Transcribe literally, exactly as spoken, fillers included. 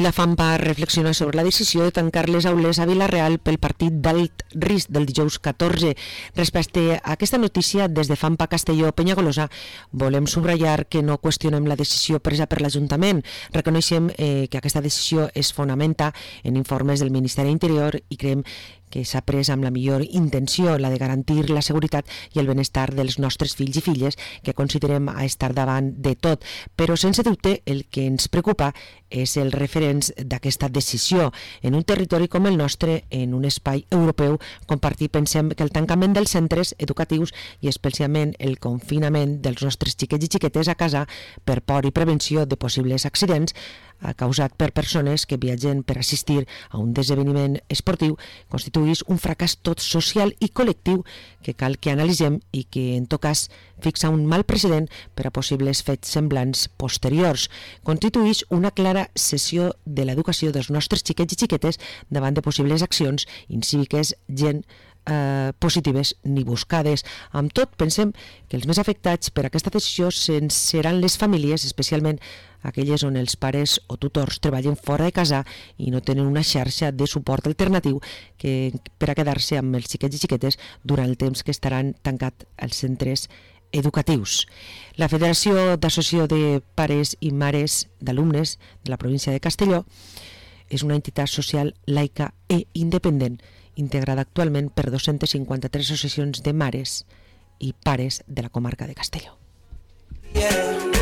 La FAM va reflexionar sobre la decisió de tancar les aules a Vila-real pel partit d'alt risc del dijous catorze. Respecte a aquesta notícia, des de FAMPA Castelló Penyagolosa volem subratllar que no qüestionem la decisió presa per l'Ajuntament. Reconeixem eh, que aquesta decisió es fonamenta en informes del Ministeri d'Interior i creiem que s'ha pres amb la millor intenció, la de garantir la seguretat i el benestar dels nostres fills i filles, que considerem a estar davant de tot. Però, sense dubte, el que ens preocupa és el referents d'aquesta decisió. En un territori com el nostre, en un espai europeu compartit, pensem que el tancament dels centres educatius i especialment el confinament dels nostres xiquets i xiquetes a casa per por i prevenció de possibles accidents causat per persones que viatgen per assistir a un esdeveniment esportiu constitueix un fracàs tot social i col·lectiu que cal que analitzem i que en tot cas fixa un mal precedent per a possibles fets semblants posteriors. Constitueix una clara cessió de l'educació dels nostres xiquets i xiquetes davant de possibles accions incíviques gent Eh, positives ni buscades. Amb tot, pensem que els més afectats per aquesta decisió seran les famílies, especialment aquelles on els pares o tutors treballen fora de casa i no tenen una xarxa de suport alternatiu que, per a quedar-se amb els xiquets i xiquetes durant el temps que estaran tancats els centres educatius. La Federació d'Associació de Pares i Mares d'Alumnes de la província de Castelló és una entitat social laica e independent integrada actualment per dos-centes cinquanta-tres associacions de mares i pares de la comarca de Castelló. Yeah.